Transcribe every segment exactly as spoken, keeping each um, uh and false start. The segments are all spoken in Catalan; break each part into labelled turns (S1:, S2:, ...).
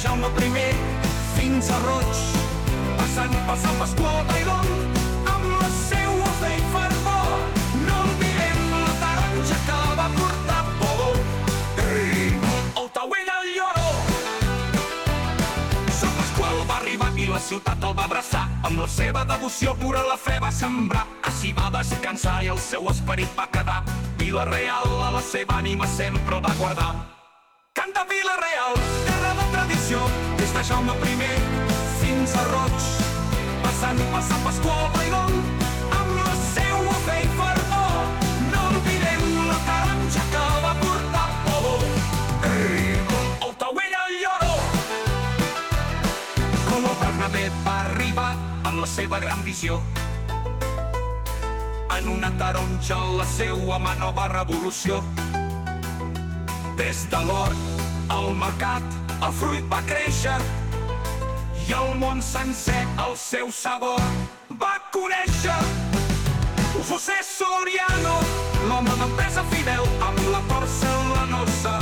S1: Jaume primer fins a Roig, passant per Sant Pasqual d'Aidon, amb la seua fe i fervor. No oblidem la taronja que va portar por. Ei, el Tauell al Lloró. Sant Pasqual va arribar i la ciutat el va abraçar, amb la seva devoció pura la fe va sembrar. Així va descansar i el seu esperit va quedar. Vila-real a la seva ànima sempre el va guardar. Canta Vila-real, terra de tradició, des de Jaume primer fins a Roig, passant per Sant Pasqual d'Aidon, amb la seua fe i fervor. No oblidem la taronja que va portar por. Ei, el Tauell al Lloró. Com el Bernabé va arribar amb la seva gran visió, en una taronja la seua mà nova revolució. Des de l'hort al mercat el fruit va créixer i el món sencer el seu sabor va conèixer. José Soriano, l'home d'empresa fidel, amb la porcelanosa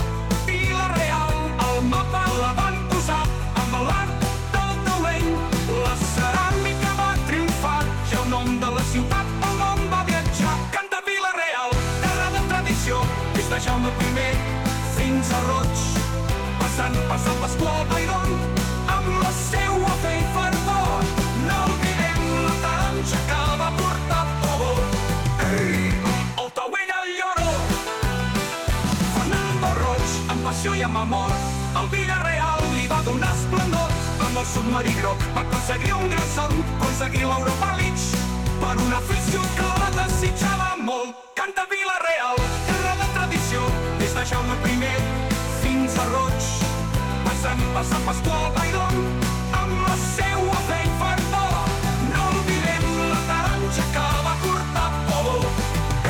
S1: Vila-real al mapa la van posar, amb l'art del taulell la ceràmica va triomfar i el nom de la ciutat pel món va viatjar. Canta Vila-real, terra de tradició, des de Jaume primer fins a Roig, passant per Sant Pasqual d'Aidon, amb la seua fe i fervor. No oblidem la taronja que va portar por. Ei, el Tauell al Lloró. Fernando Roig, amb passió i amb amor, al Vila-real li va donar esplendor. Amb el submarí groc va aconseguir un gran son, aconseguir l'Europa League per una afició que la desitjava molt. Canta Vila-real, terra de tradició, des de Jaume primer fins a Roig, passant per Sant Pasqual d'Aidon, amb la seua fe i fervor. No oblidem la taronja que va portar por.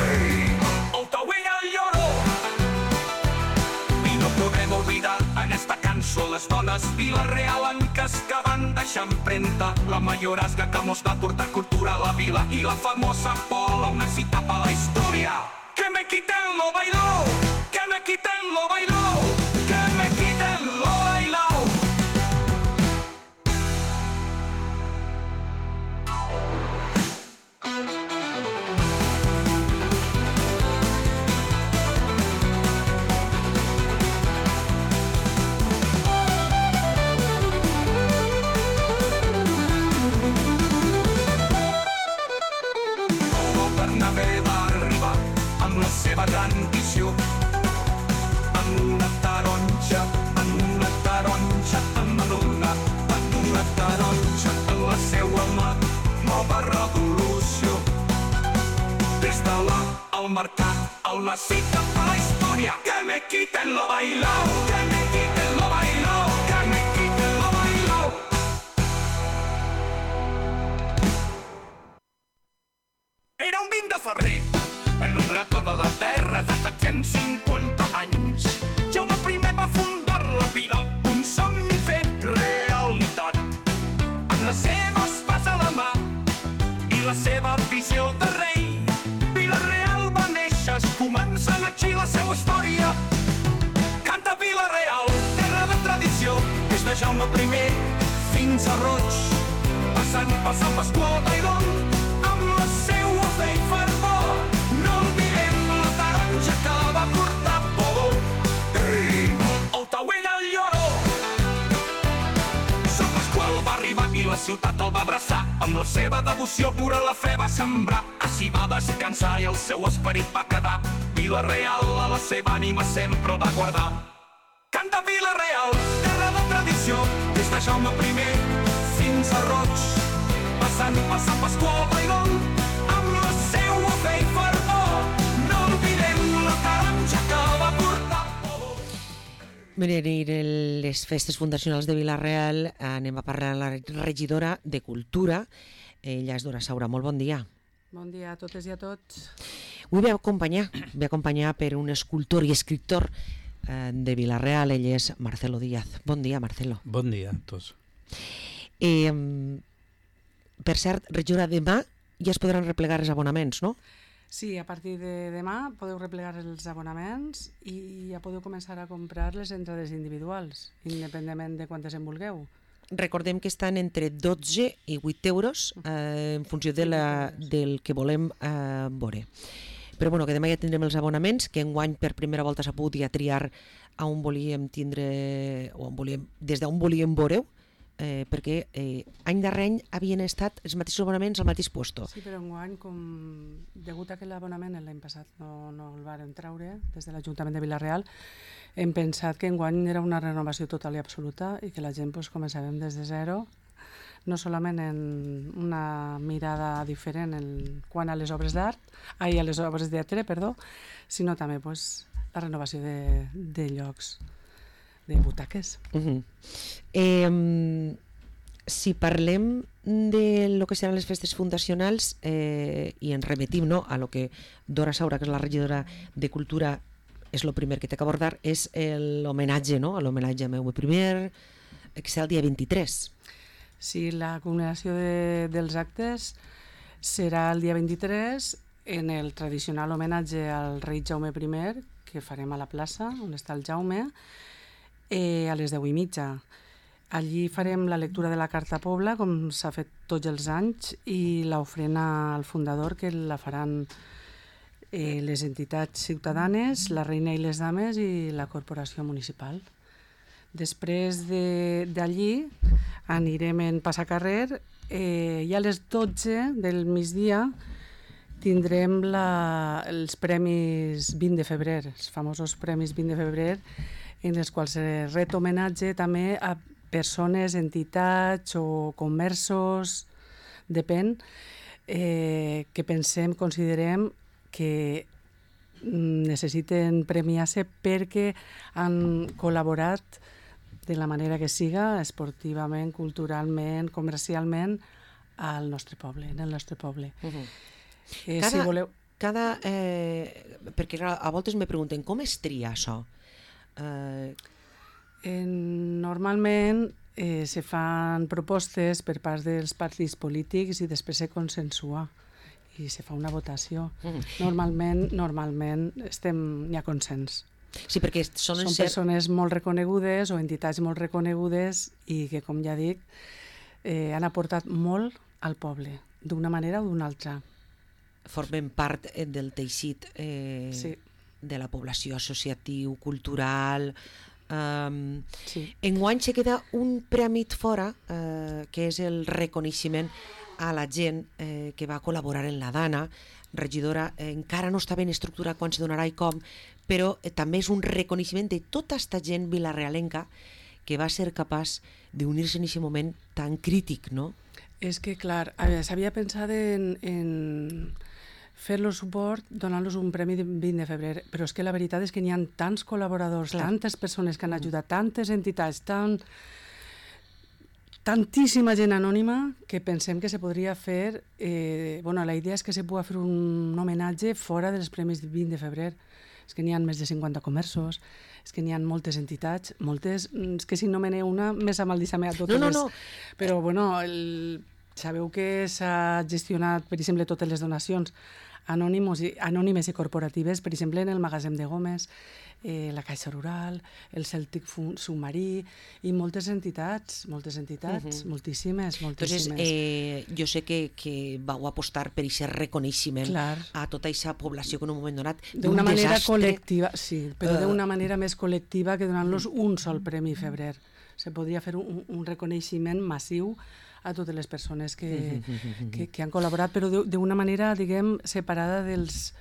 S1: Ei, el Tauell al Lloró. I no podrem oblidar en esta cançó les dones vila-realenques que van deixar empremta, la mayorazga que mos va portar cultura a la vila i la famosa Pola, una cita per la història. Que me quiten lo bailao, que me quiten lo bailao, que me quiten lo bailao. El Bernabé va arribar amb la seva gran visió, en una taronja, en una taronja, en una, en una taronja, en la seua mà, nova revolució. Des de la al mercat, el necessita per la història. Que me quiten lo bailao, que me quiten lo bailao, que me quiten lo bailao. Era un vint de febrer, en un racó de la terra de set-cents cinquanta anys, Jaume primer va fundar la vila, un somni fet realitat. Amb les seves pas a la mà i la seva visió de rei, Vila-real va néixer, començant així la seva història. Canta Vila-real, terra de tradició, des de Jaume primer fins a Roig, passant per Sant Pasqual d'Aidon, amb la seua fe i fervor. No oblidem la taronja que va portar por. Ei, el Tauell al Lloró. Sant Pasqual va arribar i la ciutat el va abraçar, amb la seva devoció pura la fe va sembrar. Així va descansar i el seu esperit va quedar. Vila-real a la seva ànima sempre el va guardar. Canta Vila-real, terra de tradició, des de Jaume primer fins a Roig, passant per Sant Pasqual d'Aidon, amb la seua fe i fervor. No oblidem la taronja que va portar por.
S2: Venir a les festes fundacionals de Vila-real anem a parlar amb la regidora de Cultura, ella és Dora Saura. Molt bon dia.
S3: Bon dia a totes i a tots.
S2: Avui ve acompanyar, ve acompanyar per un escultor i escriptor de Vila-real, ell és Marcelo Díaz. Bon dia, Marcelo.
S4: Bon dia a tots.
S2: Eh, per cert, regidora, demà ja es podran replegar els abonaments, no?
S3: Sí, a partir de demà podeu replegar els abonaments i ja podeu començar a comprar les entrades individuals, independentment de quantes en vulgueu.
S2: Recordem que estan entre dotze i vuit euros eh, en funció de la, del que volem eh, veure. Però bueno, que demà ja tindrem els abonaments, que enguany per primera volta s'ha pogut ja triar a on volíem tindre, o on volíem, des d'on volíem veure-ho, eh, perquè eh, any darrer any havien estat els mateixos abonaments al mateix puesto.
S3: Sí, però enguany, com degut a que l'abonament l'any passat no, no el varen treure des de l'Ajuntament de Vila-real, hem pensat que enguany era una renovació total i absoluta i que la gent pues, començàvem des de zero, no solament en una mirada diferent en quant a les obres d'art, ai, a les obres de teatre, perdó, sinó també pues, la renovació de, de llocs, de butaques.
S2: Uh-huh. eh, si parlem de lo que seran les festes fundacionals eh, i ens remetim no, a lo que Dora Saura, que és la regidora de Cultura, és el primer que té que abordar, és l'homenatge, no? L'homenatge a meu primer, que serà el dia vint-i-tres.
S3: Sí, la culminació de, dels actes serà el dia vint-i-tres en el tradicional homenatge al rei Jaume primer, que farem a la plaça, on està el Jaume, eh, a les deu i mitja. Allí farem la lectura de la Carta Pobla, com s'ha fet tots els anys, i l'ofrena al fundador, que la faran eh, les entitats ciutadanes, la Reina i les Dames i la Corporació Municipal. Després d'allí anirem en passacarrer eh, i a les dotze del migdia tindrem la, els premis vint de febrer, els famosos premis vint de febrer, en els quals es ret homenatge també a persones, entitats o comerços, depèn, eh, que pensem, considerem que necessiten premiar-se perquè han col·laborat de la manera que siga, esportivament, culturalment, comercialment, al nostre poble, en el nostre poble.
S2: Uh-huh.
S3: eh,
S2: Cada,
S3: si voleu...
S2: cada, eh, perquè a voltes me pregunten com es tria això? Eh...
S3: Eh, normalment eh, se fan propostes per part dels partits polítics i després se consensua i se fa una votació.
S2: Uh-huh.
S3: Normalment, normalment estem, hi ha consens.
S2: Sí, perquè són,
S3: Són
S2: ser...
S3: persones molt reconegudes o entitats molt reconegudes i que, com ja dic, eh, han aportat molt al poble, d'una manera o d'una altra.
S2: Formen part del teixit eh,
S3: sí.
S2: de la població, associatiu, cultural. Um,
S3: sí.
S2: Enguany se queda un prèmit fora, eh, que és el reconeixement a la gent eh, que va col·laborar en la Dana. Regidora, eh, encara no està ben estructurat quan se donarà i com, però eh, també és un reconeixement de tota aquesta gent vilarealenca que va ser capaç d'unir-se en aquest moment tan crític, no?
S3: És que, clar, s'havia pensat en, en fer-los suport donant-los un premi de vint de febrer, però és que la veritat és que n'hi ha tants col·laboradors, clar. Tantes persones que han ajudat, tantes entitats, tan... tantíssima gent anònima que pensem que se podria fer... Eh, bueno, la idea és que se pugui fer un homenatge fora dels premis de vint de febrer. És que n'hi ha més de cinquanta comerços, és que n'hi ha moltes entitats, moltes... És que si no me n'he una, més amaldissame a totes
S2: no, no,
S3: les...
S2: no.
S3: Però, bueno, el... sabeu que s'ha gestionat, per exemple, totes les donacions anònimes i, anònimes i corporatives, per exemple, en el Magatzem de Gómez, eh, la Caixa Rural, el Cèltic Submarí i moltes entitats, moltes entitats, uh-huh. moltíssimes, moltíssimes.
S2: Entonces, eh, jo sé que, que vau apostar per aquest reconeixement
S3: Clar.
S2: a tota aquesta població que en un moment donat
S3: d'una manera
S2: desastre...
S3: col·lectiva, sí, però
S2: uh...
S3: d'una manera més col·lectiva que donant-los un sol premi febrer. Se podria fer un, un reconeixement massiu a totes les persones que, que, que han col·laborat, però d'una manera, diguem, separada dels,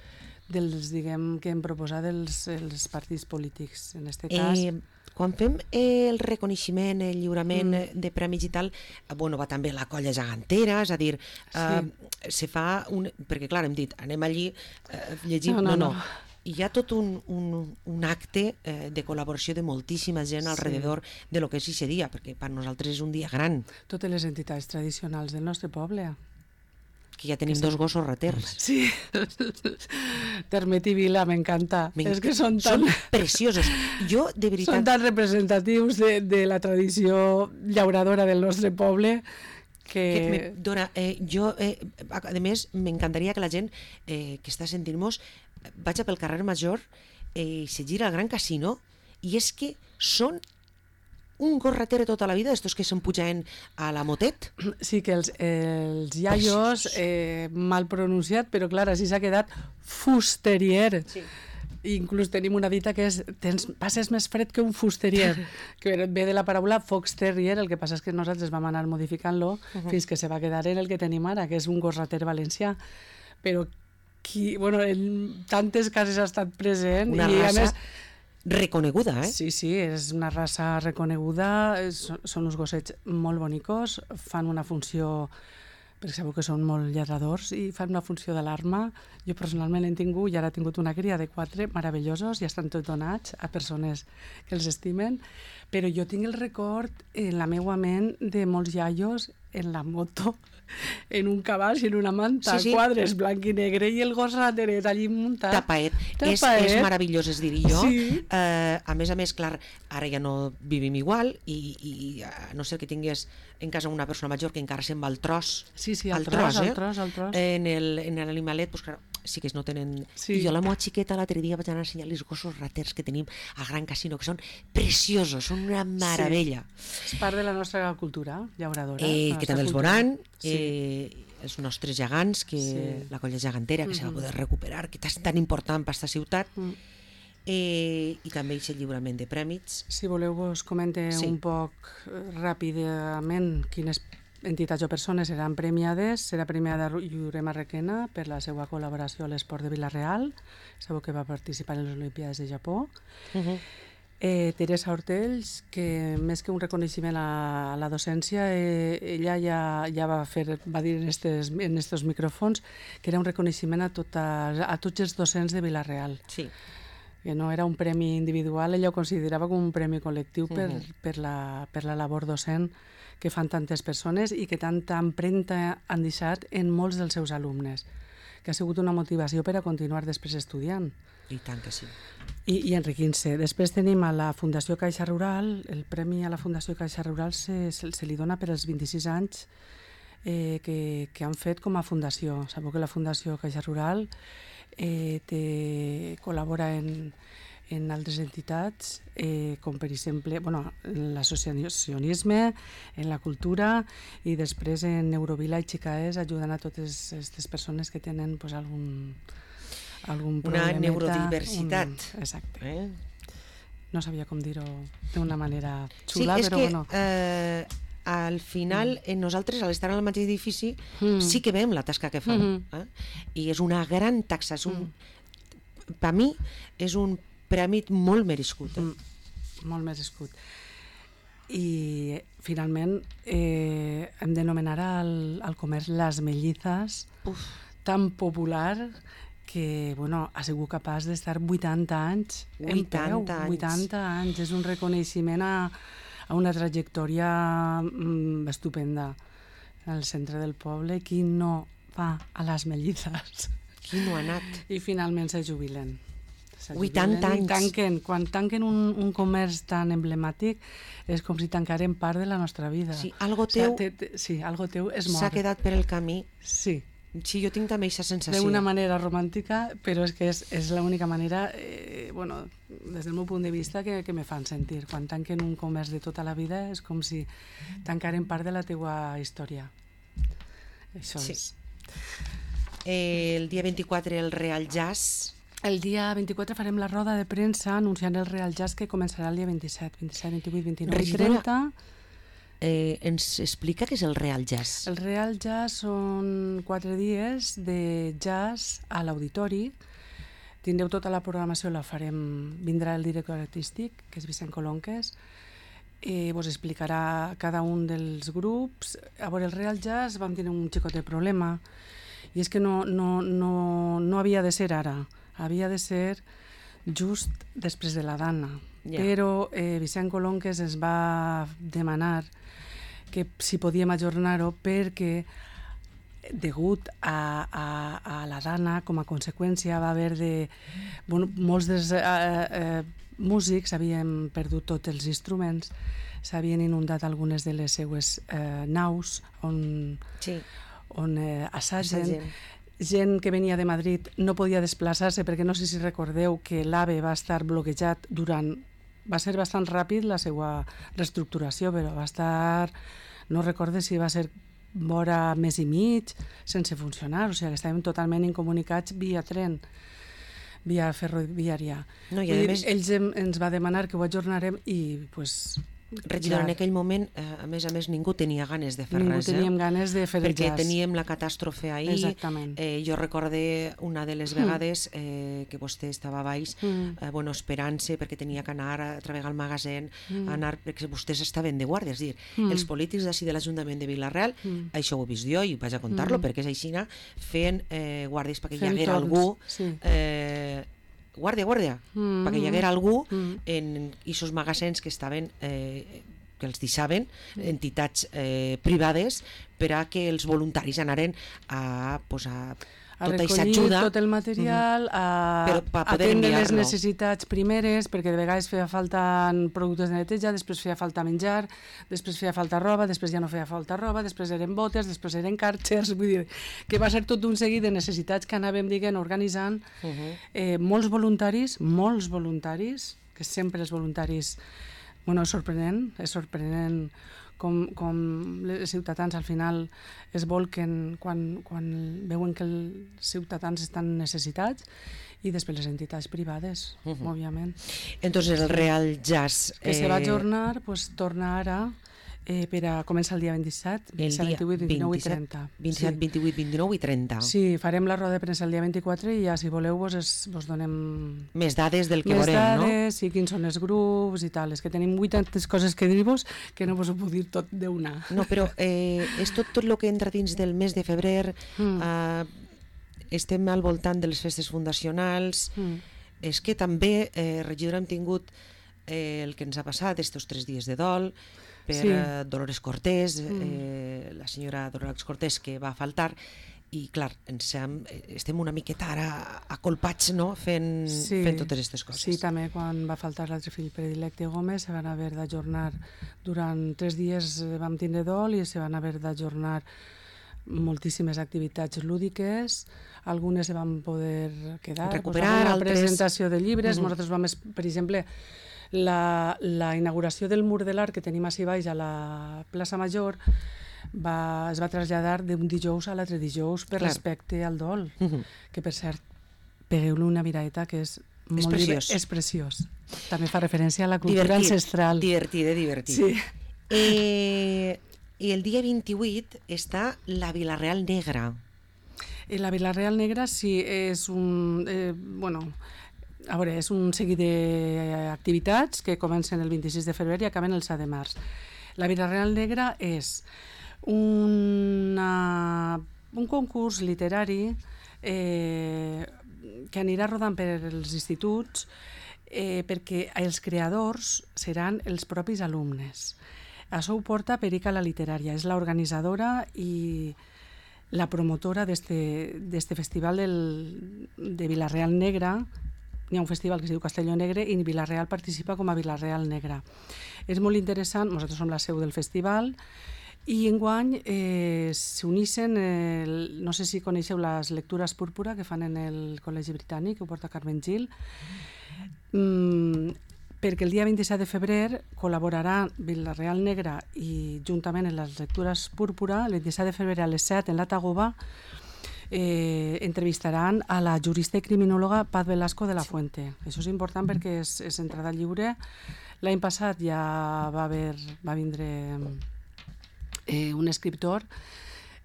S3: dels diguem, que hem proposat els, els partits polítics, en aquest cas.
S2: Eh, quan fem eh, el reconeixement, el lliurament mm. de premis i tal, eh, bueno, va també la colla gegantera, és a dir, eh, sí. se fa un... Perquè, clar, hem dit, anem allí, eh, llegim... No, no, no. no. Hi ha tot un, un, un acte eh, de col·laboració de moltíssima gent sí. alrededor de lo que és aquest dia, perquè per nosaltres és un dia gran.
S3: Totes les entitats tradicionals del nostre poble.
S2: Que ja tenim que dos gossos raters.
S3: Sí. Termet i Vila, m'encanta. És que són tan...
S2: Són preciosos. Jo, de veritat...
S3: Són tan representatius de, de la tradició llauradora del nostre poble que...
S2: que me dona, eh, jo, eh, a a més, m'encantaria que la gent eh, que està sentint-nos vagi pel carrer Major eh, i se gira al Gran Casino, i és que són un gorrater tota la vida, d'estos que se'n pujaven a la motet.
S3: Sí, que els, els iaios, eh, mal pronunciat, però clar, així s'ha quedat fusterier. Sí. Inclús tenim una dita que és tens, passes més fred que un fusterier, que ve de la paraula fox terrier, el que passa és que nosaltres vam anar modificant-lo uh -huh. fins que se va quedar en el que tenim ara, que és un gos-rater valencià. Però qui, bueno, en tantes cases ha estat present.
S2: Una
S3: i
S2: raça
S3: a més,
S2: reconeguda, eh?
S3: Sí, sí, és una raça reconeguda, és, són uns gossets molt bonicos, fan una funció, perquè sabeu que són molt lladradors, i fan una funció d'alarma. Jo personalment l'he tingut i ara he tingut una cria de quatre meravellosos i estan tots donats a persones que els estimen, però jo tinc el record en la meua ment de molts iaios en la moto, en un cavall i en una manta, sí, sí. quadres blanc i negre, i el gos rateret allí muntat.
S2: Tapaet. És, és meravellós, es diria jo.
S3: Sí.
S2: Eh, a més a més, clar, ara ja no vivim igual, i, i a no ser que tingués en casa una persona major que encara se'n va al tros.
S3: Sí, sí, al tros, al
S2: eh?
S3: tros, al tros.
S2: En l'animalet, doncs, clar, sí que no tenen...
S3: Sí.
S2: I jo a la meva xiqueta l'altre dia vaig anar a ensenyar els gossos raters que tenim al Gran Casino, que són preciosos, són una meravella.
S3: Sí. És part de la nostra cultura llauradora.
S2: Eh, que també els veuran,
S3: sí.
S2: eh, els nostres gegants, que sí. la colla gegantera, que mm -hmm. se va poder recuperar, que és tan important per aquesta ciutat, mm. eh, i també aquest lliurament de prèmits.
S3: Si voleu vos comente sí. un poc ràpidament quines entitats o persones seran premiades. Serà premiada Llurema Requena per la seva col·laboració a l'esport de Vila-real. Sabeu que va participar en les Olimpiades de Japó. Uh -huh. eh, Teresa Hortells, que més que un reconeixement a, a la docència, eh, ella ja, ja va fer, va dir en estos, en estos micròfons que era un reconeixement a, tota, a tots els docents de Vila-real. Sí. Que no era un premi individual, ella ho considerava com un premi col·lectiu per, uh -huh. per, la, per la labor docent que fan tantes persones i que tanta empremta han deixat en molts dels seus alumnes, que ha sigut una motivació per a continuar després estudiant.
S2: I tant que sí.
S3: I, i enriquint-se. Després tenim a la Fundació Caixa Rural. El premi a la Fundació Caixa Rural se, se, se li dona per als vint-i-sis anys eh, que, que han fet com a fundació. Sabeu que la Fundació Caixa Rural eh, té, col·labora en... en altres entitats, eh, com per exemple bueno, en l'associacionisme, en la cultura, i després en Neurovila i Xicaès, ajudant a totes aquestes persones que tenen pues, algun, algun problemeta.
S2: Una neurodiversitat.
S3: Un, exacte. Eh? No sabia com dir-ho d'una manera xula,
S2: sí, és
S3: però
S2: que,
S3: bueno.
S2: Eh, al final, mm. nosaltres, al estar al mateix edifici, mm. sí que veiem la tasca que fan. Mm -hmm. eh? I és una gran taxa. És un, mm. Per mi, és un premi molt merescut. Eh?
S3: Mm, molt merescut. I finalment eh, hem d'anomenar al, al comerç les mellizes, Uf. tan popular que bueno, ha sigut capaç d'estar vuitanta anys
S2: vuitanta
S3: en peu.
S2: anys.
S3: vuitanta anys. És un reconeixement a, a una trajectòria mm, estupenda. Al centre del poble, qui no va a les mellizes?
S2: Qui no ha anat?
S3: I finalment se jubilen.
S2: vuitanta anys.
S3: Tanquen. Quan tanquen un, un comerç tan emblemàtic és com si tancaren part de la nostra vida.
S2: Sí, algo teu,
S3: o sigui, te, te, sí, algo teu és mort.
S2: S'ha quedat per el camí.
S3: Sí.
S2: Sí, jo tinc també aquesta sensació.
S3: D'una manera romàntica, però és que és, és l'única manera, eh, bueno, des del meu punt de vista, que, que me fan sentir. Quan tanquen un comerç de tota la vida és com si tancaren part de la teua història. Això
S2: sí.
S3: és.
S2: Eh, el dia vint-i-quatre el Real Jazz.
S3: El dia vint-i-quatre farem la roda de premsa anunciant el Real Jazz, que començarà el dia vint-i-set, vint-i-set, vint-i-vuit, vint-i-nou i trenta.
S2: Eh, ens explica què és el Real Jazz?
S3: El Real Jazz són quatre dies de jazz a l'auditori. Tindreu tota la programació, la farem, vindrà el director artístic, que és Vicent Colonques, eh, vos explicarà cada un dels grups. A veure, el Real Jazz vam tenir un xicot de problema, i és que no, no, no, no havia de ser ara, havia de ser just després de la Dana. Yeah. Però eh, Vicent Colonques ens va demanar que si podíem ajornar-ho perquè degut a, a, a la Dana, com a conseqüència, va haver de... Bueno, molts dels eh, eh, músics havien perdut tots els instruments, s'havien inundat algunes de les seues eh, naus on, sí. on eh, assagen. assagen. Gent que venia de Madrid no podia desplaçar-se perquè no sé si recordeu que l'AVE va estar bloquejat durant... Va ser bastant ràpid la seva reestructuració, però va estar... No recorde si va ser vora mes i mig sense funcionar, o sigui que estàvem totalment incomunicats via tren, via ferroviària. No, i a més... Ells em, ens va demanar que ho ajornarem i pues,
S2: regidor, en aquell moment, eh, a més a més, ningú tenia ganes de fer
S3: ningú
S2: res.
S3: Ningú teníem
S2: eh?
S3: ganes de fer
S2: perquè
S3: el jazz.
S2: Teníem la catàstrofe ahir.
S3: Exactament.
S2: Eh, jo recorde una de les vegades eh, que vostè estava a baix, mm. eh, bueno, esperant-se perquè tenia que anar a treballar al magasin, mm. anar, perquè vostès estaven de guàrdia. És dir, mm. els polítics d'ací de l'Ajuntament de Vila-real, mm. això ho he vist jo i vaig a contar-lo, mm. perquè és així, feien eh, guàrdies perquè
S3: fent
S2: hi haguera
S3: torns.
S2: algú...
S3: Sí.
S2: Eh, guàrdia, guàrdia, mm. perquè hi haguera algú mm. en aquests magasins que estaven, eh, que els deixaven, entitats eh, privades, per a que els voluntaris anaren a, pues, a,
S3: a recollir tot el material, a, a atendre les necessitats primeres, perquè de vegades feia falta productes de neteja, després feia falta menjar, després feia falta roba, després ja no feia falta roba, després eren botes, després eren càrters, vull dir, que va ser tot un seguit de necessitats que anàvem, diguem, organitzant. Uh -huh. eh, molts voluntaris, molts voluntaris, que sempre els voluntaris, bueno, és sorprenent, és sorprenent com, com els ciutadans al final es volquen quan, quan veuen que els ciutadans estan necessitats, i després les entitats privades, uh -huh. òbviament.
S2: Entonces el Real Jazz...
S3: Que eh... se va ajornar, pues, torna ara eh, per a començar el dia vint-i-set, vint-i-vuit, vint-i-nou i trenta.
S2: vint-i-set, vint-i-vuit, vint-i-nou i trenta.
S3: Sí, farem la roda de premsa el dia vint-i-quatre i ja, si voleu, vos, es, vos donem...
S2: Més dades del que
S3: més
S2: veurem,
S3: dades,
S2: no?
S3: Més dades, i quins són els grups i tal. És que tenim vuitantes coses que dir-vos que no vos ho puc dir tot d'una.
S2: No, però eh, és tot tot el que entra dins del mes de febrer... Mm. Eh, estem al voltant de les festes fundacionals. Mm. És que també, eh, regidora, hem tingut eh, el que ens ha passat, estos tres dies de dol, per sí. eh, Dolores Cortés, mm. eh, la senyora Dolores Cortés, que va faltar, i clar, ens hem, estem una miqueta ara acolpats, no?, fent, sí. fent totes aquestes coses.
S3: Sí, també quan va faltar l'altre fill predilecte Gómez se van haver d'ajornar durant tres dies, vam tindre dol i se van haver d'ajornar moltíssimes activitats lúdiques, algunes se van poder quedar,
S2: recuperar,
S3: la
S2: altres...
S3: presentació de llibres. Uh -huh. Nosaltres vam, per exemple, la, la inauguració del mur de l'art que tenim així baix a la plaça Major va, es va traslladar d'un dijous a l'altre dijous per Clar. respecte al dol, uh -huh. que per cert, pegueu-li una miraeta que és molt
S2: és preciós.
S3: és preciós. També fa referència a la cultura
S2: divertit,
S3: ancestral.
S2: Divertit, divertit.
S3: Sí.
S2: Eh, I el dia vint-i-vuit està la Vila-real Negra.
S3: La Vila-real Negra sí, és un... Eh, bueno, a veure, és un seguit d'activitats que comencen el vint-i-sis de febrer i acaben el set de març. La Vila-real Negra és una, un concurs literari eh, que anirà rodant per els instituts eh, perquè els creadors seran els propis alumnes. Això ho porta Perica la Literària, és l'organitzadora i la promotora d'este festival del, de Vila-real Negra. Hi ha un festival que es diu Castelló Negre i Vila-real participa com a Vila-real Negra. És molt interessant, nosaltres som la seu del festival, i enguany eh, s'unixen, eh, no sé si coneixeu les lectures púrpura que fan en el Col·legi Britànic, que ho porta Carmen Gil, mm, perquè el dia vint-i-set de febrer col·laborarà Vila-real Negra i juntament en les lectures púrpura, el vint-i-set de febrer a les set en la Tagoba, eh, entrevistaran a la jurista i criminòloga Paz Velasco de la Fuente. Això és important perquè és, és entrada lliure. L'any passat ja va, haver, va vindre eh, un escriptor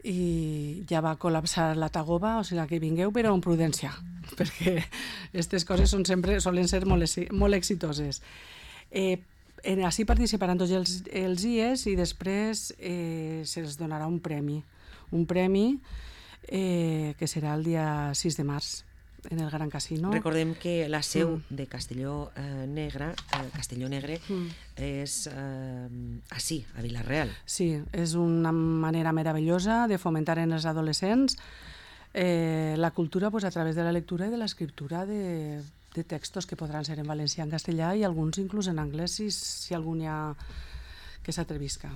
S3: i ja va col·lapsar la Tagoba, o sigui que vingueu però amb prudència, perquè aquestes coses són sempre, solen ser molt, molt exitoses. Eh, en, així participaran tots els, els I E S i després eh, se'ls donarà un premi, un premi eh, que serà el dia sis de març en el Gran Casino.
S2: Recordem que la seu mm. de Castelló eh, Negre, eh, Castelló Negre mm. és eh, així, a Vila-real.
S3: Sí, és una manera meravellosa de fomentar en els adolescents eh, la cultura pues, a través de la lectura i de l'escriptura de, de textos que podran ser en valencià, en castellà i alguns inclús en anglès, si, si algun hi ha que s'atrevisca.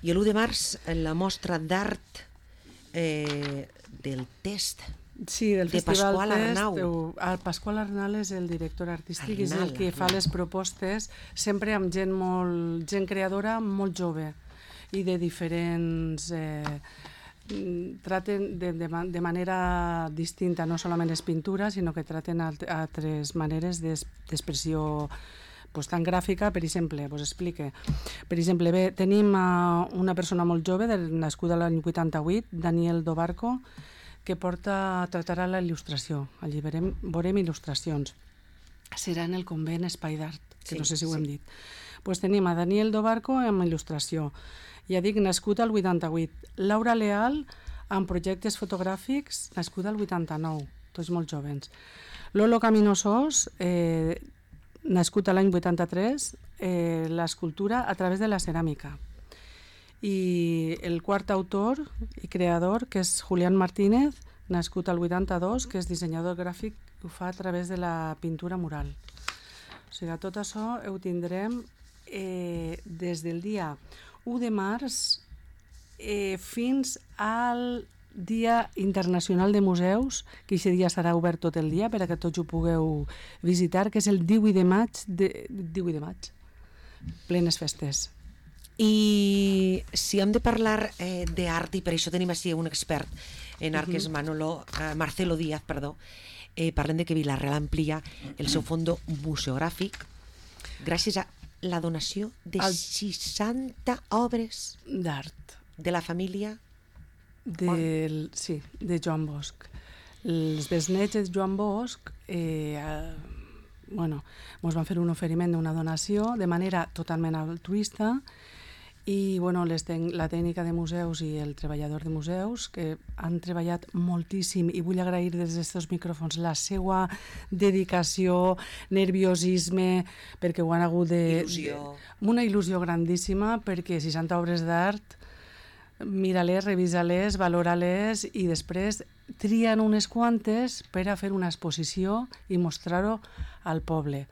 S2: I l'u de març, en la mostra d'art eh, del test,
S3: sí, del
S2: de
S3: Festival
S2: Pasqual
S3: Test.
S2: Arnau.
S3: El Pasqual Arnal és el director artístic, és
S2: Arnal,
S3: el que fa
S2: Arnal.
S3: les propostes, sempre amb gent molt, gent creadora molt jove i de diferents... Eh, traten de, de, de manera distinta, no solament és pintura, sinó que traten alt, altres maneres d'expressió pues, tan gràfica. Per exemple, pues explique. Per exemple, bé, tenim uh, una persona molt jove, del, nascuda l'any vuitanta-vuit, Daniel Dobarco, que porta, tratarà la il·lustració. Allí veurem, veurem il·lustracions. Serà en el convent Espai d'Art, que sí, no sé si ho sí. hem dit. Pues tenim a Daniel Dobarco amb il·lustració. Ja dic, nascut al vuitanta-vuit. Laura Leal, amb projectes fotogràfics, nascuda al vuitanta-nou, tots molt jovens. Lolo Caminosós, eh, nascut a l'any vuitanta-tres, eh, l'escultura a través de la ceràmica. I el quart autor i creador, que és Julián Martínez, nascut al vuitanta-dos, que és dissenyador gràfic, ho fa a través de la pintura mural. O sigui, tot això ho tindrem eh, des del dia u de març eh, fins al Dia Internacional de Museus, que aquest dia serà obert tot el dia per a que tots ho pugueu visitar, que és el divuit de maig, de, divuit de maig, plenes festes.
S2: I si hem de parlar eh, d'art, i per això tenim així un expert en art, que és Manolo, eh, Marcelo Díaz, perdó, eh, parlem de que Vila-real amplia el seu fondo museogràfic gràcies a la donació de el... seixanta obres
S3: d'art
S2: de la família
S3: del, sí, de Joan Bosch. Els besnets de Joan Bosch eh, eh, bueno, ens van fer un oferiment d'una donació de manera totalment altruista i bueno, les ten la tècnica de museus i el treballador de museus, que han treballat moltíssim, i vull agrair des d'aquests micròfons la seva dedicació, nerviosisme, perquè ho han hagut de...
S2: Il·lusió.
S3: Una il·lusió grandíssima, perquè seixanta obres d'art, mira-les, revisa-les, valora-les i després trien unes quantes per a fer una exposició i mostrar-ho al poble.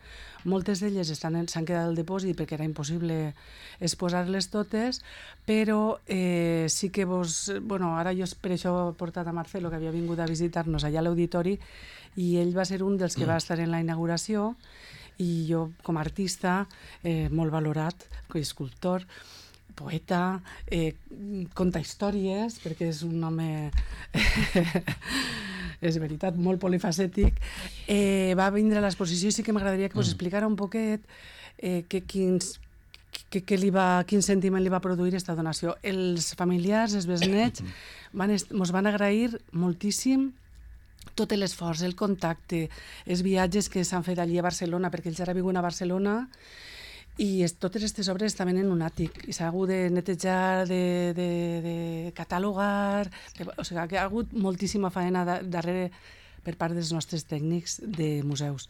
S3: Moltes d'elles s'han quedat al depòsit perquè era impossible exposar-les totes, però eh, sí que vos... Bueno, ara jo per això he portat a Marcelo, que havia vingut a visitar-nos allà a l'auditori, i ell va ser un dels que va estar en la inauguració, i jo, com a artista, eh, molt valorat, com a escultor, poeta, eh, conta històries, perquè és un home... és veritat, molt polifacètic, eh, va vindre a l'exposició i sí que m'agradaria que vos explicara un poquet eh, que, quins, que, que li va, quin sentiment li va produir aquesta donació. Els familiars, els besnets, van ens van agrair moltíssim tot l'esforç, el contacte, els viatges que s'han fet allí a Barcelona, perquè ells ara viuen a Barcelona, i es, totes aquestes obres estaven en un àtic i s'ha hagut de netejar, de, de, de catalogar, de, o sigui que ha hagut moltíssima faena da, darrere per part dels nostres tècnics de museus.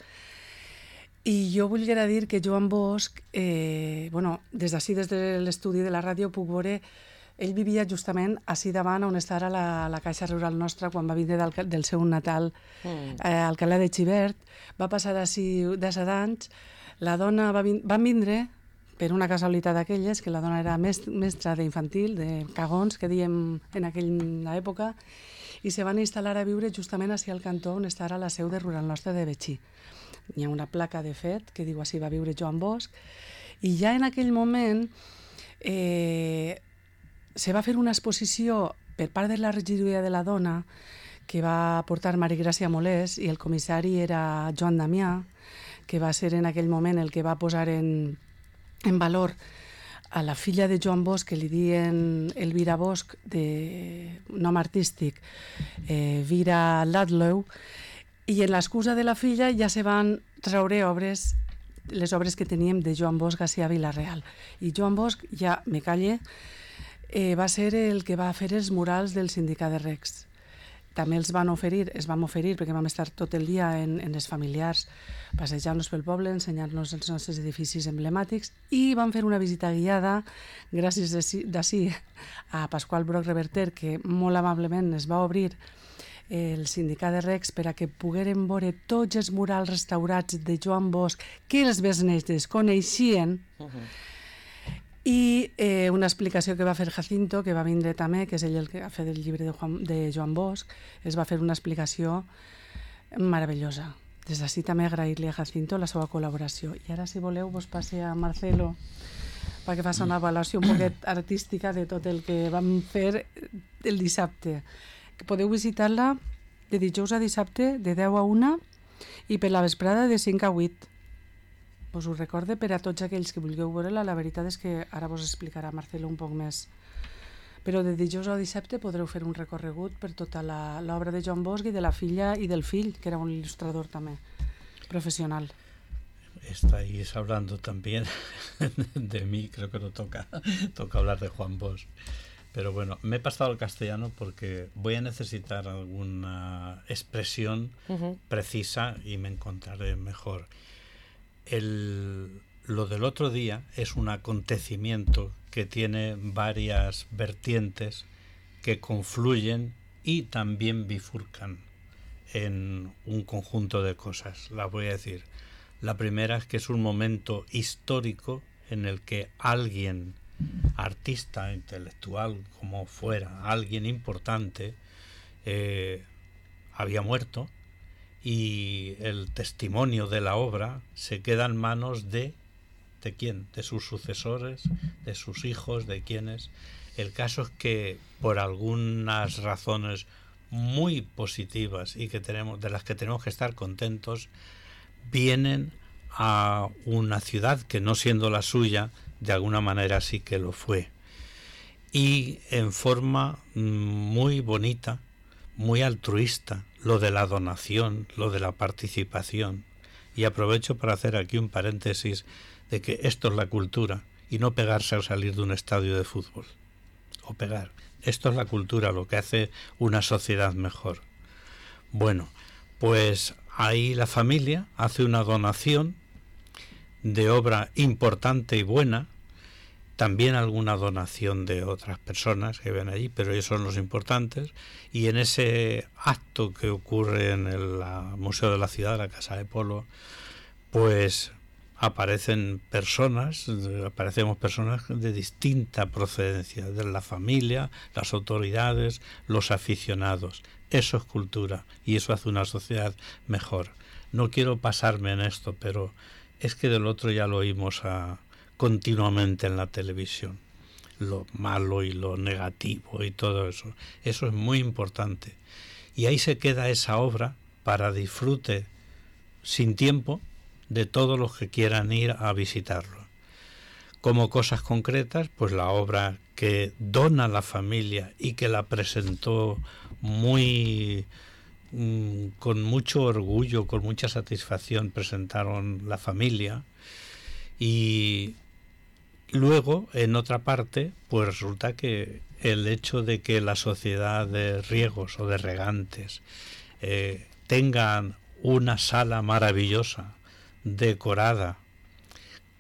S3: I jo volia dir que Joan Bosch, eh, bueno, des d'ací, des de l'estudi de la ràdio, puc veure, ell vivia justament ací davant on està ara la, la Caixa Rural Nostra quan va vindre del, del seu natal mm. eh, a Alcalá de Xivert, va passar ací de set anys. La dona va vin van vindre per una casualitat d'aquelles, que la dona era mestra d'infantil, de cagons, que diem en aquella època, i se van instal·lar a viure justament ací al cantó on està ara la seu de Rural Nostra de Betxí. Hi ha una placa, de fet, que diu així va viure Joan Bosch, i ja en aquell moment eh, se va fer una exposició per part de la regidoria de la dona que va portar Mari Gràcia Molés, i el comissari era Joan Damià, que va ser en aquell moment el que va posar en, en valor a la filla de Joan Bosch, que li diuen Elvira Bosch, de nom artístic, eh, Vira Ladlow, i en l'excusa de la filla ja se van traure obres, les obres que teníem de Joan Bosch a Vila-real. I Joan Bosch, ja me calle, eh, va ser el que va fer els murals del sindicat de Recs. També els van oferir, es vam oferir, perquè vam estar tot el dia en, en les familiars, passejar-nos pel poble, ensenyar-nos els nostres edificis emblemàtics, i vam fer una visita guiada, gràcies d'ací a Pasqual Broc Reverter, que molt amablement es va obrir el sindicat de Recs per a que pogueren veure tots els murals restaurats de Joan Bosch que els besnets desconeixien. Uh-huh. I eh, una explicació que va fer Jacinto, que va vindre també, que és ell el que ha fet el llibre de, Juan, de Joan Bosch, es va fer una explicació meravellosa. Des d'ací també agrair-li a Jacinto la seva col·laboració. I ara, si voleu, vos passe a Marcelo perquè faci una avaluació un poquet artística de tot el que vam fer el dissabte. Que podeu visitar-la de dijous a dissabte de deu a una i per la vesprada de cinc a vuit. Us ho recorde per a tots aquells que vulgueu veure-la. La veritat és que ara vos explicarà Marcelo un poc més. Però de dijous a dissabte podreu fer un recorregut per tota l'obra de Joan Bosch i de la filla i del fill, que era un il·lustrador també, profesional.
S4: Estáis hablando también de mí, creo que no toca, toca hablar de Juan Bosch. Pero bueno, me he pasado al castellano porque voy a necesitar alguna expresión uh-huh. precisa y me encontraré mejor. El, lo del otro día es un acontecimiento que tiene varias vertientes que confluyen y también bifurcan en un conjunto de cosas. Las voy a decir. La primera es que es un momento histórico en el que alguien, artista, intelectual, como fuera, alguien importante, eh, había muerto. Y el testimonio de la obra se queda en manos de, ¿de quién? De sus sucesores, de sus hijos, de quienes. El caso es que por algunas razones muy positivas y que tenemos, de las que tenemos que estar contentos, vienen a una ciudad que, no siendo la suya, de alguna manera sí que lo fue. Y en forma muy bonita, muy altruista, lo de la donación, lo de la participación. Y aprovecho para hacer aquí un paréntesis de que esto es la cultura y no pegarse al salir de un estadio de fútbol. O pegar. Esto es la cultura, lo que hace una sociedad mejor. Bueno, pues ahí la familia hace una donación de obra importante y buena, también alguna donación de otras personas que ven allí, pero ellos son los importantes, y en ese acto que ocurre en el la, Museo de la Ciudad, la Casa de Polo, pues aparecen personas, aparecemos personas de distinta procedencia, de la familia, las autoridades, los aficionados. Eso es cultura y eso hace una sociedad mejor. No quiero pasarme en esto, pero es que del otro ya lo oímos a, continuamente en la televisión. Lo malo y lo negativo y todo eso. Eso es muy importante. Y ahí se queda esa obra para disfrute sin tiempo de todos los que quieran ir a visitarlo. Como cosas concretas, pues la obra que dona la familia y que la presentó muy mmm, con mucho orgullo, con mucha satisfacción, presentaron la familia. Y luego, en otra parte, pues resulta que el hecho de que la sociedad de riegos o de regantes eh, tengan una sala maravillosa, decorada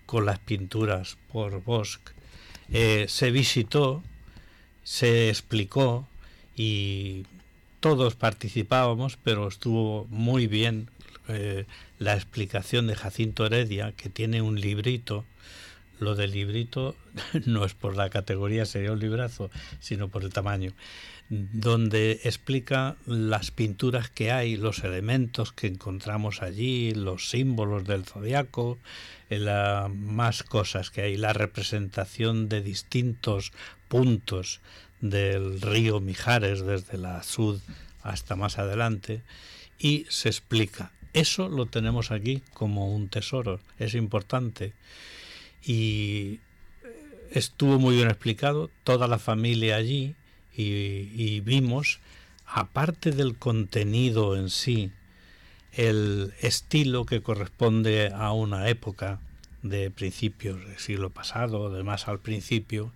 S4: con las pinturas por Bosch, eh, se visitó, se explicó y todos participábamos, pero estuvo muy bien eh, la explicación de Jacinto Heredia, que tiene un librito. Lo del librito no es por la categoría, sería un librazo, sino por el tamaño, donde explica las pinturas que hay, los elementos que encontramos allí, los símbolos del zodiaco, la, más cosas que hay, la representación de distintos puntos del río Mijares, desde la Sud hasta más adelante, y se explica. Eso lo tenemos aquí como un tesoro, es importante. Y estuvo muy bien explicado, toda la familia allí, y, y vimos, aparte del contenido en sí, el estilo que corresponde a una época de principios del siglo pasado, de más al principio,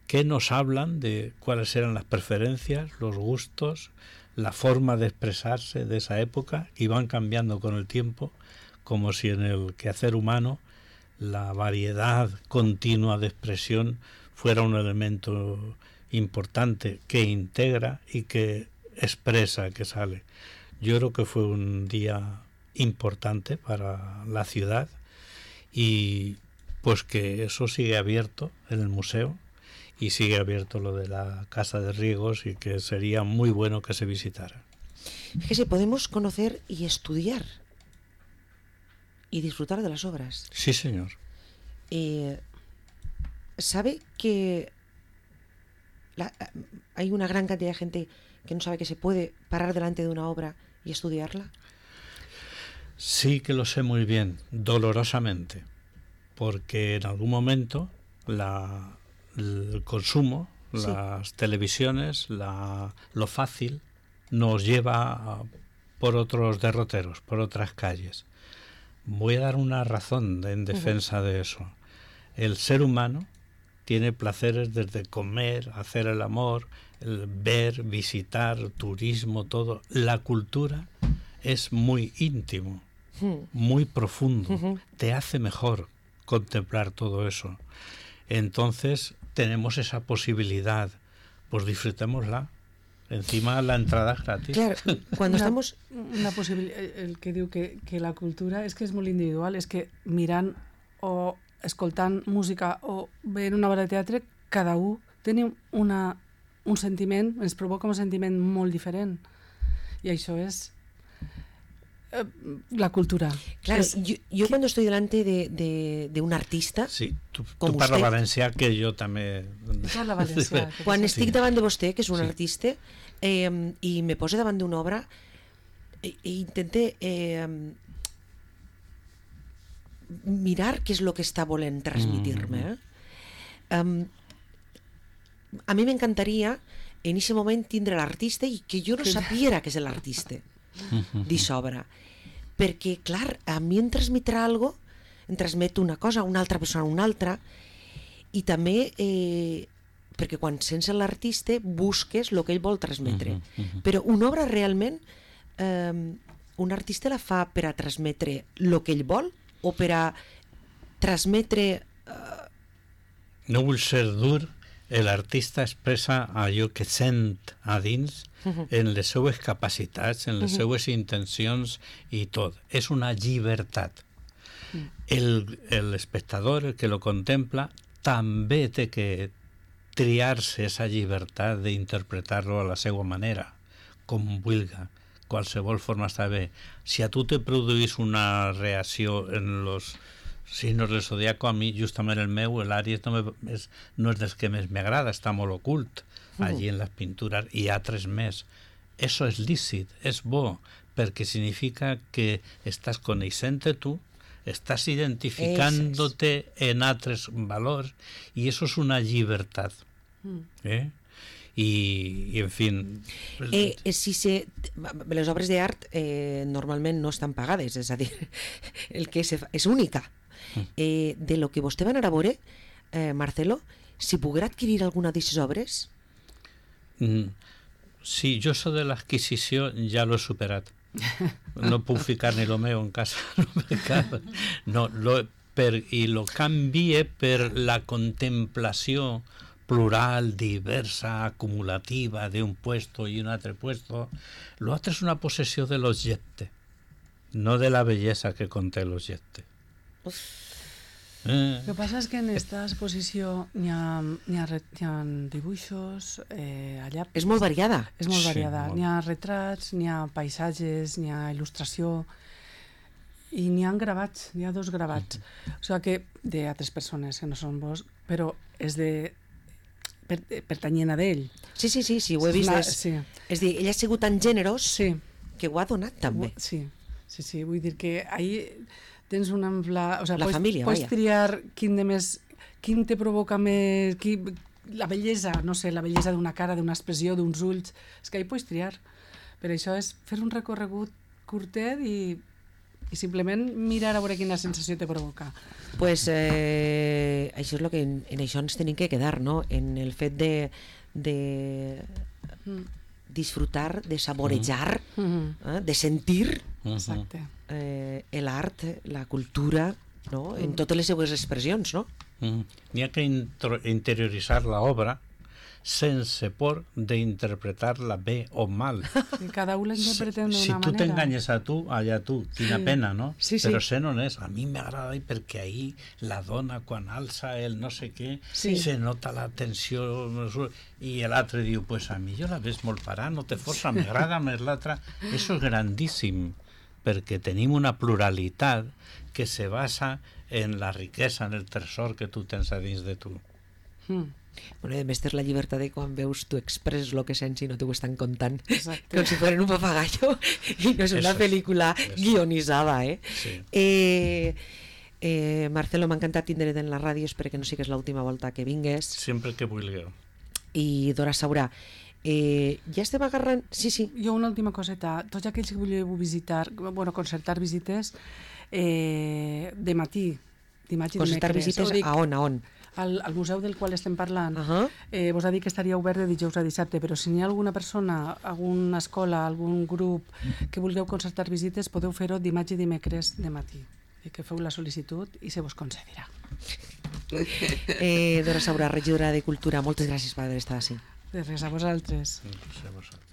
S4: que nos hablan de cuáles eran las preferencias, los gustos, la forma de expresarse de esa época, y van cambiando con el tiempo, como si en el quehacer humano la variedad continua de expresión fuera un elemento importante que integra y que expresa que sale. Yo creo que fue un día importante para la ciudad y pues que eso sigue abierto en el museo y sigue abierto lo de la Casa de Riegos y que sería muy bueno que se visitara.
S2: Fíjese, podemos conocer y estudiar y disfrutar de las obras.
S4: Sí, señor.
S2: Eh, ¿Sabe que la, hay una gran cantidad de gente que no sabe que se puede parar delante de una obra y estudiarla?
S4: Sí que lo sé muy bien, dolorosamente, porque en algún momento la, el consumo, sí. las televisiones, la, lo fácil, nos lleva a, por otros derroteros, por otras calles. Voy a dar una razón en defensa uh-huh. de eso. El ser humano tiene placeres desde comer, hacer el amor, el ver, visitar, turismo, todo. La cultura es muy íntimo, uh-huh. muy profundo. Uh-huh. Te hace mejor contemplar todo eso. Entonces tenemos esa posibilidad, pues disfrutémosla. Encima la entrada es gratis.
S2: Claro, cuando
S3: una,
S2: estamos...
S3: Una posibilitat, el que diu que, que la cultura és que és molt individual, és que mirant o escoltant música o veient una obra de teatre, cada un tenim una, un sentiment, ens provoca un sentiment molt diferent. I això és eh, la cultura.
S2: Claro,
S3: es,
S2: yo, yo cuando estoy delante de, de, de un artista...
S4: Sí, tu, tu parla usted, valencià, que jo també...
S3: Parla valencià.
S2: Quan estic
S4: sí.
S2: davant de vostè, que és un
S4: sí.
S2: artista, eh, i me posa davant d'una obra, e, e intente eh, mirar què és el que està volent transmitir-me. Eh? Um, a mi m'encantaria en aquest moment tindre l'artista i que jo no sapiera que és l'artista d'aquesta obra. Perquè, clar, a mi em transmetrà algo, em transmet una cosa, una altra persona una altra, i també eh, perquè quan sents l'artista busques el que ell vol transmetre. Uh-huh, uh-huh. Però una obra realment eh, un artista la fa per a transmetre el que ell vol o per a transmetre... Eh...
S4: No vull ser dur, l'artista expressa allò que sent a dins uh-huh. en les seues capacitats, en les uh-huh. seues intencions i tot. És una llibertat. Uh-huh. El, el espectador, el que lo contempla, també té que triar-se esa llibertat d'interpretar-lo a la seva manera, com vulga. Qualsevol forma està bé. Si a tu te produís una reacció en los signos del zodiaco, a mi justament el meu, l'Àries, no, me, és, no és dels que més m'agrada, està molt ocult allí en les pintures, i altres més. Eso és lícit, és bo, perquè significa que estàs coneixent-te tu, estás identificándote en altres valors i eso és una llibertat. ¿Eh? I, i en fi...
S2: Eh, si se, les obres d'art eh, normalment no estan pagades, és a dir, el que és, és única. Eh, de lo que vostè va anar a veure, eh, Marcelo, si poguera adquirir alguna d'aquestes obres?
S4: Mm, sí, jo això de l'adquisició ja l'he superat. No puc ficar ni lo meu en casa no, no, lo, per, i lo canvie per la contemplació plural, diversa, acumulativa d'un puesto i un altre puesto. Lo altre és una possessió de l'objecte, no de la bellesa que conté l'objecte.
S3: Eh. El que passa és que en aquesta exposició n'hi ha, n'hi ha, n'hi ha dibuixos, eh, allà...
S2: És molt variada.
S3: És molt variada.
S4: Sí, molt.
S3: N'hi ha retrats, n'hi ha paisatges, n'hi ha il·lustració, i n'hi ha gravats, n'hi ha dos gravats. Mm-hmm. O sigui que, d'altres persones que no són vos, però és de... Per, pertanyent a d'ell.
S2: Sí, sí, sí, sí, ho he vist.
S3: La,
S2: és,
S3: sí.
S2: és dir, ell ha sigut tan generós
S3: sí.
S2: que ho ha donat també.
S3: Sí, sí, sí, vull dir que ahir... tens una ampla... O sea,
S2: la
S3: pots,
S2: família,
S3: pots
S2: vaya.
S3: triar quin de més... Quin te provoca més... Qui, la bellesa, no sé, la bellesa d'una cara, d'una expressió, d'uns ulls... És que ahir pots triar. Per això és fer un recorregut curtet i, i simplement mirar a veure quina sensació te provoca.
S2: Pues eh, això és el que en, en això ens tenim que quedar, no? En el fet de, de mm. disfrutar, de saborejar, mm. eh, de sentir...
S3: Exacte.
S2: Eh, l'art, la cultura, no? En totes les seues expressions, no?
S4: Mm. N'hi ha que intro- interioritzar l'obra sense por d'interpretar-la bé o mal.
S3: Que cada un la interpretem d'una
S4: si
S3: manera.
S4: Si tu t'enganyes a tu, allà tu, quina
S3: Sí.
S4: pena, no?
S2: Sí, sí.
S4: Però sent honest, a mi m'agrada perquè ahir la dona quan alça el no sé què,
S2: Sí.
S4: se nota la tensió i l'altre diu, pues a mi jo la ves molt parada, no te força, m'agrada més l'altra. Això és grandíssim, perquè tenim una pluralitat que se basa en la riquesa, en el tresor que tu tens a dins de tu.
S3: Mm.
S2: Bueno, i a més tens la llibertat de quan veus tu expresses el que sents i no t'ho estan contant.
S3: Exacte.
S2: Com si fueren un papagallo i no és una
S4: Eso es,
S2: pel·lícula
S4: eso.
S2: guionitzada, eh?
S4: Sí.
S2: Eh, eh, Marcelo, m'ha encantat tindre't en la ràdio, espero que no sigues l'última volta que vingues.
S4: Sempre que vulgueu.
S2: I Dora Saurà, eh, ja estem agarrant... Sí, sí.
S3: Jo una última coseta. Tots aquells que voleu visitar, bueno, concertar visites eh, de matí, dimarts i
S2: Concertar
S3: dimecres.
S2: visites
S3: Ho dic,
S2: a on, a on?
S3: al, al museu del qual estem parlant.
S2: Uh -huh.
S3: eh, vos ha dit que estaria obert de dijous a dissabte, però si n'hi ha alguna persona, alguna escola, algun grup que vulgueu concertar visites, podeu fer-ho dimarts i dimecres de matí. I que feu la sol·licitud i se vos concedirà.
S2: Eh, Dora Saurà, regidora de Cultura, moltes gràcies per haver estat així.
S3: De res, a vosaltres.
S4: No sé, vosaltres.